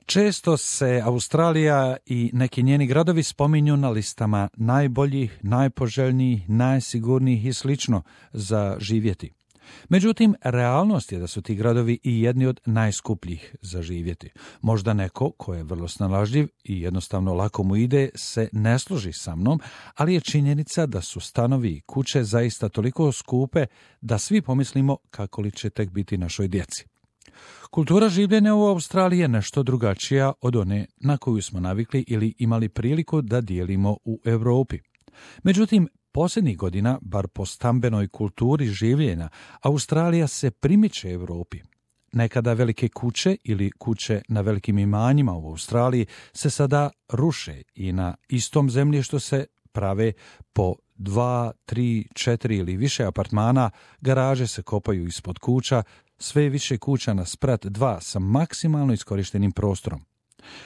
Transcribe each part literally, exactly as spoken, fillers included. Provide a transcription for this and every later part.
Često se Australija i neki njeni gradovi spominju na listama najboljih, najpoželjnijih, najsigurnijih i slično za živjeti. Međutim, realnost je da su ti gradovi i jedni od najskupljih za živjeti. Možda neko ko je vrlo snalažljiv i jednostavno lako mu ide se ne složi sa mnom, ali je činjenica da su stanovi i kuće zaista toliko skupe da svi pomislimo kako li će tek biti našoj djeci. Kultura življenja u Australiji je nešto drugačija od one na koju smo navikli ili imali priliku da dijelimo u Europi. Međutim, posljednjih godina, bar po stambenoj kulturi življenja, Australija se primiče Europi. Nekada velike kuće ili kuće na velikim imanjima u Australiji se sada ruše i na istom zemljištu se prave po dva, tri, četiri ili više apartmana, garaže se kopaju ispod kuća, sve više kuća na sprat dva sa maksimalno iskorištenim prostorom.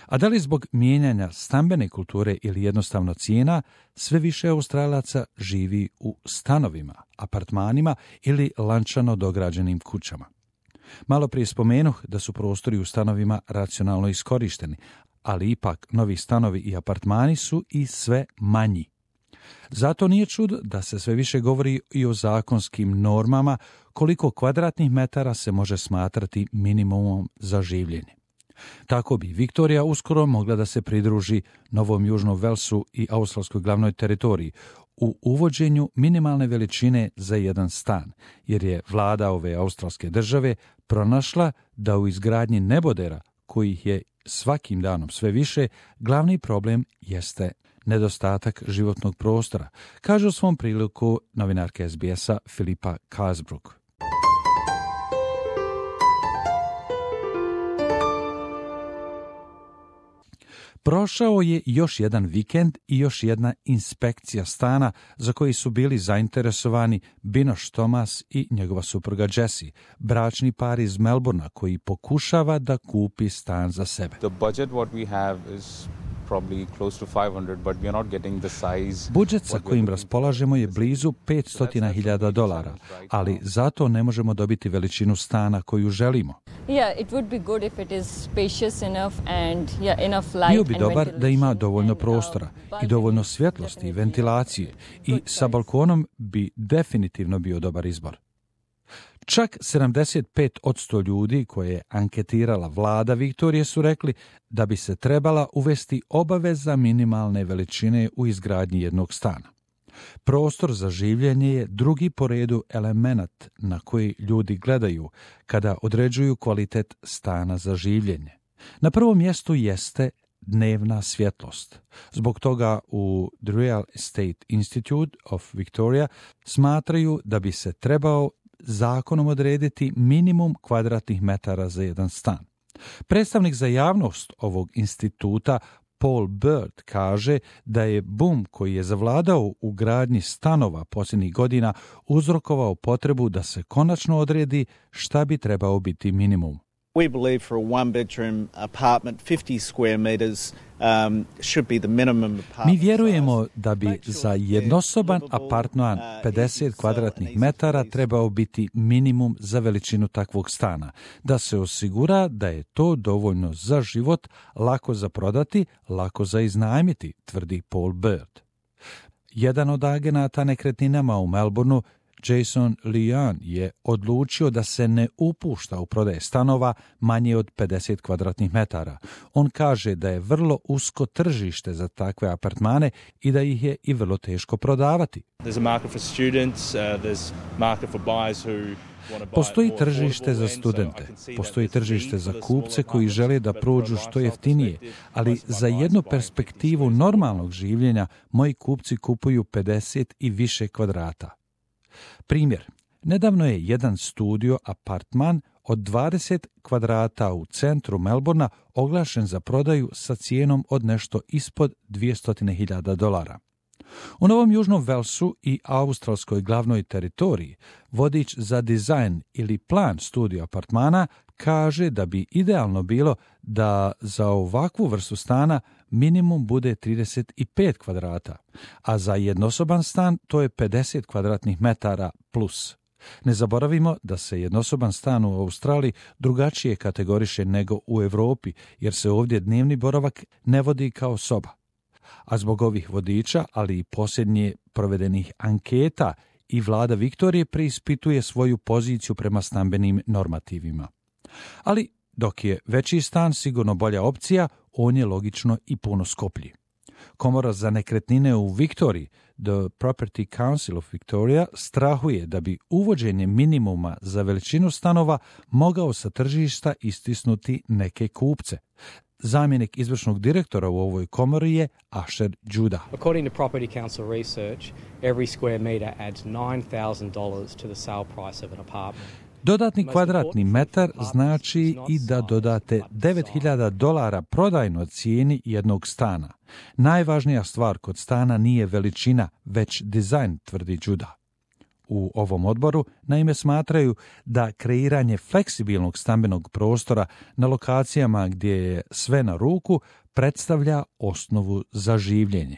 A da li zbog mijenjanja stambene kulture ili jednostavno cijena, sve više Australaca živi u stanovima, apartmanima ili lančano dograđenim kućama. Malo prije spomenuh da su prostori u stanovima racionalno iskorišteni, ali ipak novi stanovi i apartmani su i sve manji. Zato nije čud da se sve više govori i o zakonskim normama koliko kvadratnih metara se može smatrati minimumom za življenje. Tako bi Viktorija uskoro mogla da se pridruži Novom Južnom Velsu i australskoj glavnoj teritoriji u uvođenju minimalne veličine za jedan stan, jer je vlada ove australske države pronašla da u izgradnji nebodera, kojih je svakim danom sve više, glavni problem jeste nedostatak životnog prostora, kaže u svom priliku novinarka S B S-a Filipa Casbrook. Prošao je još jedan vikend i još jedna inspekcija stana za koji su bili zainteresovani Binoš Thomas i njegova supruga Jessie, bračni par iz Melbourna koji pokušava da kupi stan za sebe. The budget what we have is probably close to five hundred, but we are not getting the size. Budžet sa kojim raspolažemo je blizu petsto hiljada dolara, ali zato ne možemo dobiti veličinu stana koju želimo. Yeah, it would be good if it is spacious enough and yeah, enough light. Bio bi dobar da ima dovoljno prostora i dovoljno svjetlosti i ventilacije i sa balkonom bi definitivno bio dobar izbor. Čak sedamdeset pet posto ljudi koje je anketirala vlada Viktorije su rekli da bi se trebala uvesti obaveza minimalne veličine u izgradnji jednog stana. Prostor za življenje je drugi po redu element na koji ljudi gledaju kada određuju kvalitet stana za življenje. Na prvom mjestu jeste dnevna svjetlost. Zbog toga u The Real Estate Institute of Victoria smatraju da bi se trebao zakonom odrediti minimum kvadratnih metara za jedan stan. Predstavnik za javnost ovog instituta Paul Bird kaže da je bum koji je zavladao u gradnji stanova posljednjih godina uzrokovao potrebu da se konačno odredi šta bi trebao biti minimum. We believe for a one-bedroom apartment, fifty square meters um, should be the minimum apartment. Mi vjerujemo da bi za jednosoban apartman pedeset kvadratnih metara trebao biti minimum za veličinu takvog stana, da se osigura da je to dovoljno za život, lako za prodati, lako za iznajmiti, tvrdi Paul Bird. Jedan od agenata nekretninama u Melbourneu, Jason Leon, je odlučio da se ne upušta u prodaje stanova manje od pedeset kvadratnih metara. On kaže da je vrlo usko tržište za takve apartmane i da ih je i vrlo teško prodavati. Postoji tržište za studente, postoji tržište za kupce koji žele da prođu što jeftinije, ali za jednu perspektivu normalnog življenja moji kupci kupuju pedeset i više kvadrata. Primjer, nedavno je jedan studio apartman od dvadeset kvadrata u centru Melbourna oglašen za prodaju sa cijenom od nešto ispod dvjesto hiljada dolara. U Novom Južnom Velsu i australskoj glavnoj teritoriji vodič za dizajn ili plan studio apartmana kaže da bi idealno bilo da za ovakvu vrstu stana minimum bude trideset pet kvadrata, a za jednosoban stan to je pedeset kvadratnih metara plus. Ne zaboravimo da se jednosoban stan u Australiji drugačije kategoriše nego u Europi, jer se ovdje dnevni boravak ne vodi kao soba. A zbog ovih vodiča, ali i posljednje provedenih anketa, i vlada Viktorije preispituje svoju poziciju prema stambenim normativima. Ali dok je veći stan sigurno bolja opcija, on je logično i puno skuplji. Komora za nekretnine u Viktoriji, The Property Council of Victoria, strahuje da bi uvođenje minimuma za veličinu stanova mogao sa tržišta istisnuti neke kupce. Zamjenik izvršnog direktora u ovoj komori je Asher Judah. According to Property Council research, every square metre adds nine thousand dollars to the sale price of an apartment. Dodatni kvadratni metar znači i da dodate devet hiljada dolara prodajnoj cijeni jednog stana. Najvažnija stvar kod stana nije veličina, već dizajn, tvrdi Judah. U ovom odboru naime smatraju da kreiranje fleksibilnog stambenog prostora na lokacijama gdje je sve na ruku predstavlja osnovu za življenje.